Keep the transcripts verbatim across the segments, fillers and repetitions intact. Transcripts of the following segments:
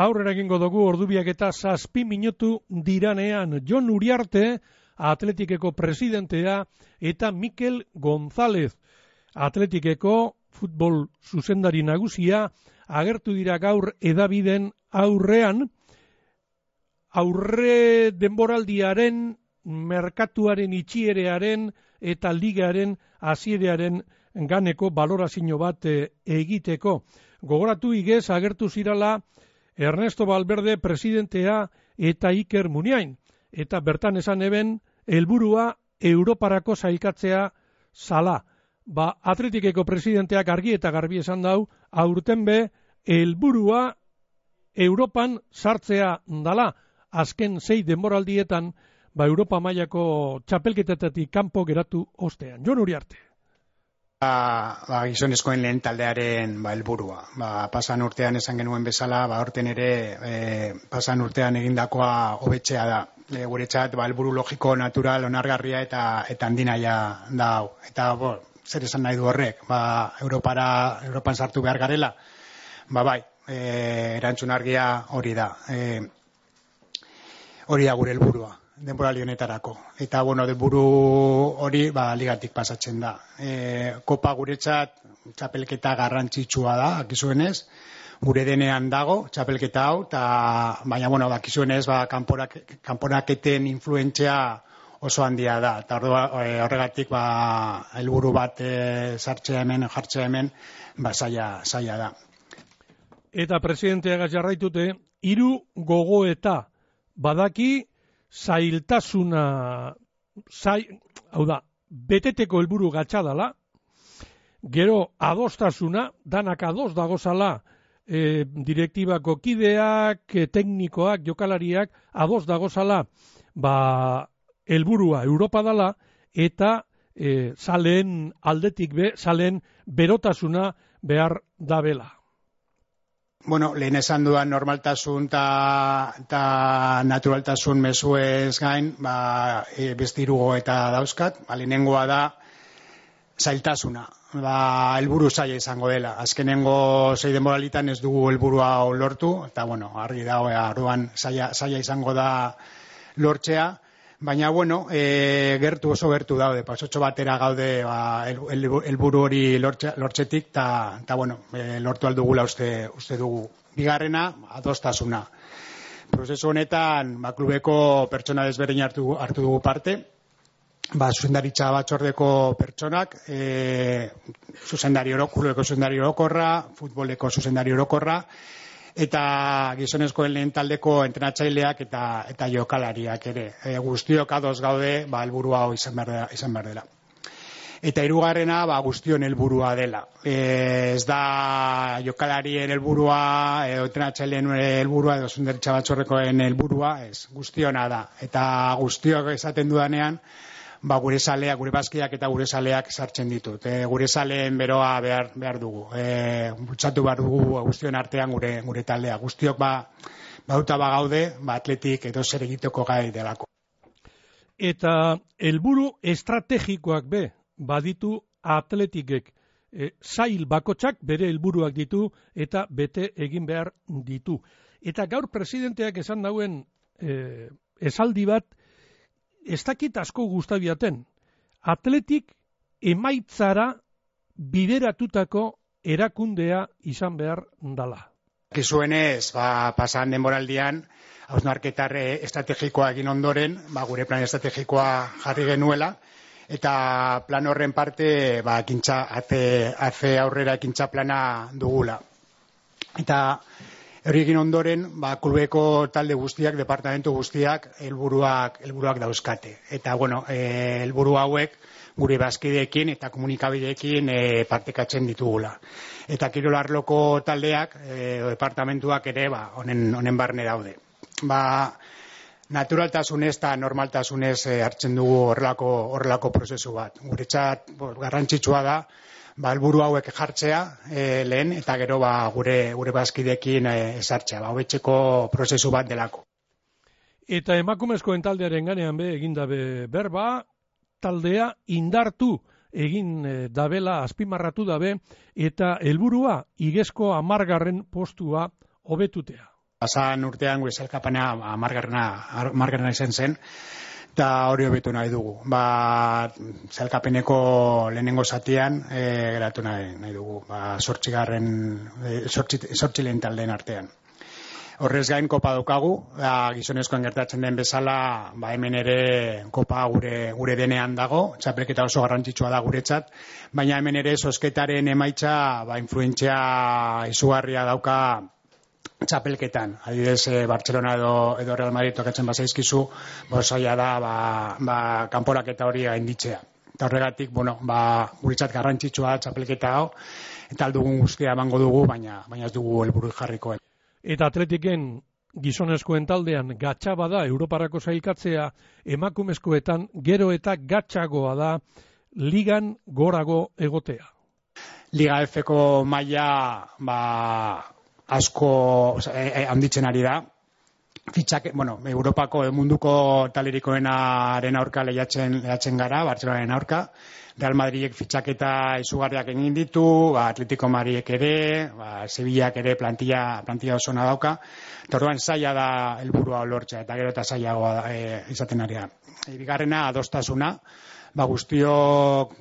aurrera egingo dugu ordubiak eta zazpi minutu diranean. Jon Uriarte, Atletikeko presidentea, eta Mikel González, Atletikeko futbol zuzendari nagusia, agertu dira gaur edabiden aurrean, aurre denboraldiaren, merkatuaren itxierearen eta ligaren hasierearen ganeko balorazio bat e, egiteko. Gogoratu igez agertu zirala Ernesto Valverde presidentea eta Iker Muniain, eta bertan esan eben helburua Europarako sailkatzea zala. Ba, Atletikeko presidenteak argi eta garbi esan dau, aurten be helburua Europan sartzea dala. Azken sei denboraldietan, ba, Europa mailako txapelketetatik kanpo geratu ostean. Jon Uriarte. Ba, ba, gizonezkoen lehen taldearen ba, helburua. Ba, pasan urtean esan genuen bezala, ba, horten ere e, pasan urtean egindakoa hobetzea da. E, guretzat, ba, helburu logiko, natural, onargarria eta eta handinaia da hau. Eta, bo, zer esan nahi du horrek? Ba, Europara, Europan sartu behar garela? Ba, bai, e, erantzun argia hori da. E, hori da gure helburua denboraldi honetarako. Eta, bueno, helburu hori, ba, ligatik pasatzen da. E, kopa guretzat, txapelketa garrantzitsua da, akizuenez, gure denean dago, txapelketa hau, ta, baina, bueno, akizuenez, ba, kanporak, kanporaketen influentzia oso handia da. Eta horregatik, ba, helburu bat e, sartzea hemen, jartzea hemen, ba, zaila, zaila da. Eta presidenteagaz jarraitute, hiru gogoeta badaki, zailtasuna, zai, hau da, beteteko helburu gatxadala, gero adostasuna, danak ados dagozala, e, direktibako kideak, e, teknikoak, jokalariak, ados dagozala, ba, helburua Europa dala, eta e, zaleen aldetik be, zaleen berotasuna behar dabela. Bueno, lehen esan duan normaltasun eta naturaltasun mezuez gain, ba, e, beste hiru eta dauzkat, ba, lehenengoa da zailtasuna, ba, helburu zaila izango dela. Azkenengo sei denboralitan ez dugu helburua lortu, eta bueno, argi da, orduan zaila, zaila izango da lortzea, baina bueno, e, gertu oso gertu daude, pasotxo batera gaude ba, helburu el, el hori lortxe, lortxetik, eta bueno, e, lortu aldugula uste, uste dugu. Bigarrena, adostasuna. Prozesu honetan, ba, klubeko pertsona desberdin hartu, hartu dugu parte, ba, zuzendaritza batzordeko pertsonak, e, zuzendari oro, klubeko zuzendari orokorra, futboleko zuzendari orokorra, eta gizonezkoen lehen taldeko entrenatzaileak eta eta jokalariak ere. E, guztiok ados gaude, ba, helburu hau izan behar dela. Izan behar dela. Eta hirugarrena, ba, guztion helburua dela. E, ez da jokalarien helburua, edo entrenatzaileen helburua, edo zuzendaritza batzorrekoen helburua, ez, guztiona da. Eta guztiok esaten dudanean, ba, gure zaleak, gure bazkiak eta gure zaleak sartzen ditut. E, gure zaleen beroa behar, behar dugu. E, bultzatu behar dugu guztion artean gure, gure taldea. Guztiok ba, bauta bagaude, ba, atletik edo zer egiteko gai delako. Eta helburu estrategikoak be, baditu atletikek. E, zail bakotxak bere helburuak ditu eta bete egin behar ditu. Eta gaur presidenteak esan dauen e, esaldi bat, ez dakit asko gustabiaten, atletik emaitzara bideratutako erakundea izan behar dala. Kizuenez, ba, pasan denboraldian, hausnarketar estrategikoa egin ondoren, ba, gure plan estrategikoa jarri genuela, eta plan horren parte, ba, ekintza, aze, aze aurrera ekintza plana dugula. Eta hori egin ondoren, ba, klubeko talde guztiak, departamentu guztiak, helburuak helburuak dauzkate. Eta, bueno, e, helburu hauek gure bazkideekin eta komunikabideekin e, partekatzen ditugula. Eta kirolarloko taldeak, e, departamentuak ere, ba, honen, honen barne daude. Ba, naturaltasunez eta normaltasunez e, hartzen dugu horrelako, horrelako prozesu bat. Guretzat, bo, garrantzitsua da, ba, helburu hauek jartzea e, lehen, eta gero ba, gure gure bazkideekin e, esartzea, ba, hobetzeko prozesu bat delako. Eta emakumezkoen taldearen ganean be, egin dabe berba, taldea indartu egin e, dabela, azpimarratu dabe, eta helburua igezko hamargarren postua hobetutea. Pasan urtean gure sailkapena hamargarrena izan zen, eta hori hobetu nahi dugu. Ba, sailkapeneko lehenengo zatian e, geratu nahi, nahi dugu, ba, sortzigarren, e, sortzi, sortzi lehen taldeen artean. Horrez gain kopa daukagu, da, gizonezkoen gertatzen den bezala, ba, hemen ere kopa gure, gure denean dago, txapelketa oso garrantzitsua da guretzat, baina hemen ere zozketaren emaitza ba, influentzia izugarria dauka txapelketan. Adibidez, eh, Barcelona edo, edo Real Madrid tokatzen bazaizkizu, bo zaila da ba, ba, kanporaketa hori gainditzea. Eta horregatik, bueno, ba, guretzat garrantzitsua txapelketa hau, eta aldugun guztia emango dugu, baina, baina ez dugu helburu jarriko. Eta Atletiken gizonezkoen taldean gatxaba da Europarako sailkatzea, emakumezkoetan gero eta gatxagoa da ligan gorago egotea. Liga F-ko maila ba, asko oza, e, e, handitzen ari da. Fitxak, bueno, Europako munduko talerikoenaren aurka lehiatzen, lehiatzen gara, Bartzelonaren aurka. Real Madridek fitxaketa izugarriak egin ditu, ba, Atletico Madridek ere, ba, Sevillak ere plantilla, plantilla osona dauka. Eta orduan zaila da helburua lortzea, eta gero eta zailagoa da, e, izaten ari da. E, bigarrena adostasuna, ba, guztio,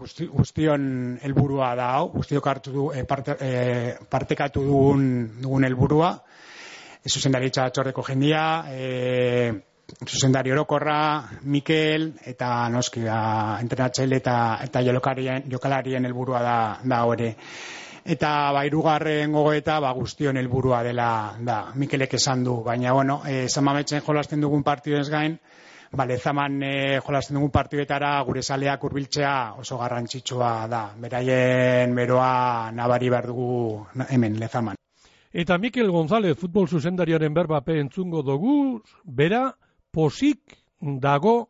guzti, guztion helburua da hau, guztiok hartu du, e, parte, e, partekatu dugun, dugun helburua, e, zuzendaritza batzordeko jendia, e, zuzendari orokorra, Mikel, eta noski da, entrenatzaile eta, eta jokalarien, jokalarien helburua da, da hori. Eta ba, hirugarren gogoeta ba, guztion helburua dela da, Mikelek esan du, baina bueno, e, Zamametzen jolasten dugun partidez gain, ba, Lezaman e, jolasten dugun partidetara gure zaleak hurbiltzea oso garrantzitsua da, beraien beroa nabari behar dugu hemen Lezaman. Eta Mikel González futbol zuzendariaren berbape entzungo dugu, bera, posik dago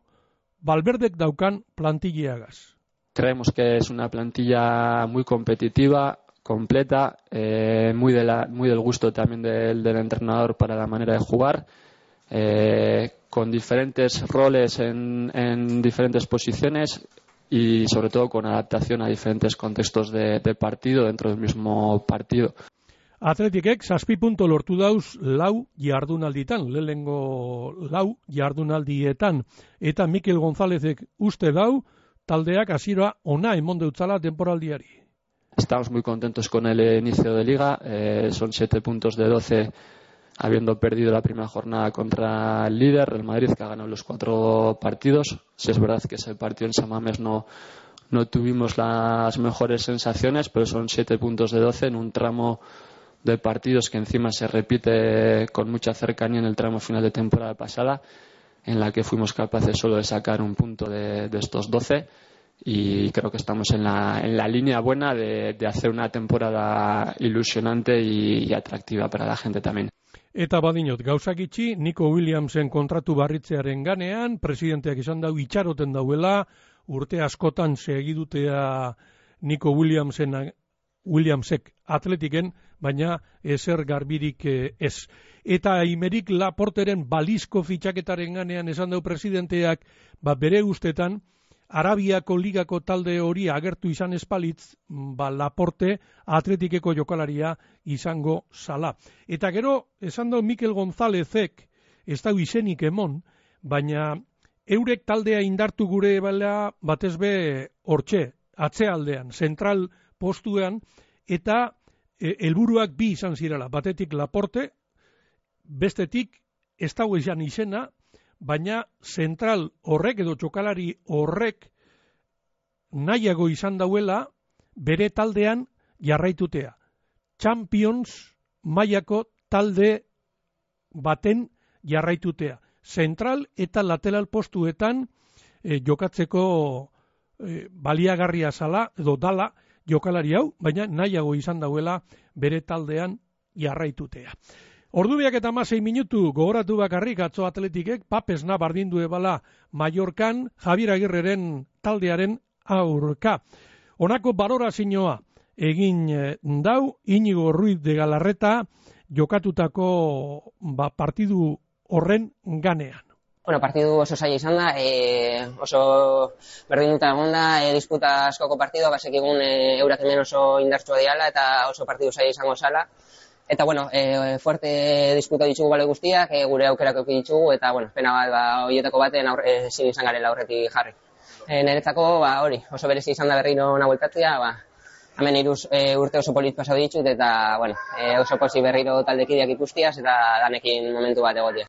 Valverdek daukan plantillaagaz. Creemos que es una plantilla muy competitiva, completa, eh, muy, de la, muy del gusto también del, del entrenador para la manera de jugar, eh, con diferentes roles en, en diferentes posiciones y sobre todo con adaptación a diferentes contextos de, de partido dentro del mismo partido. Atletikek zazpi punto lortu dauz lau jardunalditan, lehengo lau jardunaldietan, eta Mikel Gonzálezek uste dau taldeak hasiera ona emon deutzala temporaldiari. Estamos muy contentos con el inicio de liga, eh, son siete puntos de doce habiendo perdido la primera jornada contra el líder, el Madrid, que ha ganado los cuatro partidos. Si es verdad que ese partido en San Mamés no, no tuvimos las mejores sensaciones, pero son siete puntos de doce en un tramo de partidos que encima se repite con mucha cercanía en el tramo final de temporada pasada, en la que fuimos capaces solo de sacar un punto de, de estos doce, y creo que estamos en la, en la línea buena de, de hacer una temporada ilusionante y, y atractiva para la gente también. Eta badinot, gauzak itxi, Nico Williamsen kontratu barritzearen ganean, presidenteak izan dau itxaroten dauela, urte askotan segidutea Nico Williamsen Williamsek Atletiken, baina ezer garbirik ez. Eta Aymeric Laporteren balizko fitxaketaren ganean esan dau presidenteak, ba bere ustetan, Arabiako ligako talde hori agertu izan espalitz, ba Laporte Atletikeko jokalaria izango zala. Eta gero, esan dau Mikel Gonzálezek, ez dau izenik emon, baina eurek taldea indartu gure bala batez be hortxe, atzealdean, zentral postuean, eta helburuak e, bi izan zirela, batetik Laporte, bestetik ez dago izan izena, baina zentral horrek edo txokalari horrek nahiago izan dauela bere taldean jarraitutea. Champions mailako talde baten jarraitutea. Zentral eta lateral postuetan e, jokatzeko e, baliagarria zala edo dala jokalari hau, baina nahiago izan dauela bere taldean jarraitutea. Ordubiak eta hamasei minutu gogoratu bakarrik atzo Atletikek papesna bardindu ebala Mallorcan Javier Agirreren taldearen aurka. Honako balorazioa egin dau Iñigo Ruiz de Galarreta jokatutako ba, partidu horren ganean. Bueno, partidu oso zaila izan da, e, oso berdinduta egon da, e, disputa askoko partidua, basekigun e, eurak hemen oso indartsua diala eta oso partidu zaila izango zala. Eta, bueno, e, fuerte disputa ditugu baloi guztiak, e, gure aukerak eduki ditugu, eta, bueno, pena bat, ba, horietako baten aurre, ezin izan garela aurretik jarri. E, niretzako, ba, hori, oso berezi izan da berriro ona bueltatzea, ba, hemen iruz e, urte oso polit pasau ditut, eta, bueno, e, oso posi berriro taldekideak ikustiaz, eta danekin momentu bat egotia.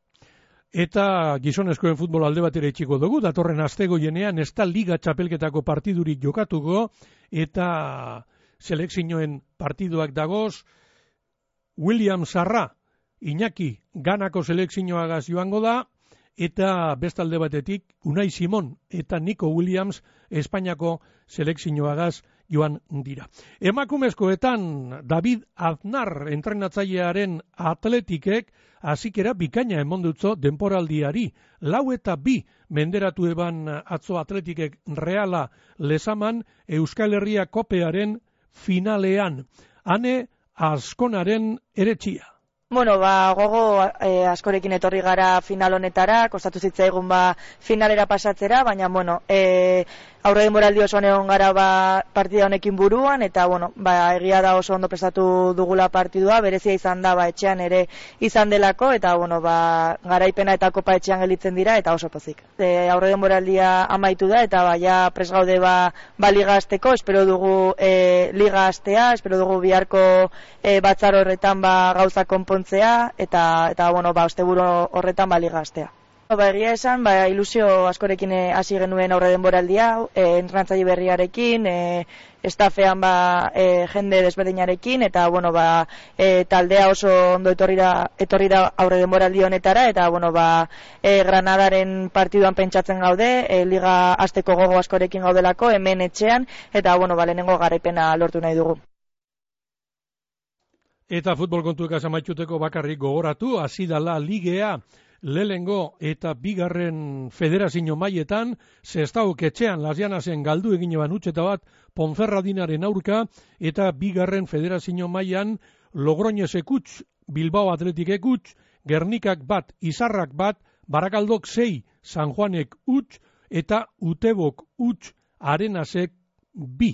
Eta gizonezkoen futbol alde batera itxiko dugu, datorren astegoienean ez da liga txapelketako partidurik jokatuko, eta selekzioen partiduak dagoz, William Sarra, Iñaki Ganako selekzioagaz joango da, eta bestalde batetik Unai Simon eta Nico Williams Espainiako selekzioagaz joan dira. Emakumezkoetan David Aznar entrenatzailearen Atletikek hazikera bikaina emondutzo denporaldiari. Lau eta bi menderatu eban atzo Atletikek Reala lezaman Euskal Herria kopearen finalean. Hane Azkonaren eretxia. Bueno, ba, gogo e, askorekin etorri gara final honetara, kostatu zitzaigun ba finalera pasatzera, baina, bueno, e, aurre denboraldi osoan egon gara ba, partida honekin buruan, eta, bueno, ba, egia da oso ondo prestatu dugula partidua, berezia izan da, ba, etxean ere izan delako, eta, bueno, ba, garaipena eta kopa etxean gelitzen dira, eta oso pozik. E, aurre denboraldia amaitu da, eta, ba, ja, pres gaude, ba, ba liga azteko, espero dugu e, liga aztea, espero dugu biharko e, batzar horretan, ba, gauza konpon eta eta bueno, ba osteburu horretan ba liga hastea. Ba egia esan, ba ilusio askorekin hasi genuen aurre denboraldia, eh entrenatzaile berriarekin, eh estafean ba e, jende desberdinarekin eta bueno, ba e, taldea oso ondo etorri da etorri da aurre denboraldi honetara eta bueno, ba e, Granadaren partiduan pentsatzen gaude, e, liga hasteko gogo askorekin gaudelako hemen etxean eta bueno, ba lehenengo garaipena lortu nahi dugu. Eta futbol kontuek amaituteko bakarrik gogoratu, hasi dala ligea lehengo eta bigarren federazio mailetan, Sestaok etxean Las Llanasen galdu egin eban utxeta bat Ponferradinaren aurka, eta bigarren federazio mailan Logroñesek utx, Bilbao Atletikek utx, Gernikak bat, Izarrak bat, Barakaldok sei, San Juanek utx, eta Utebok utx, Arenasek bi.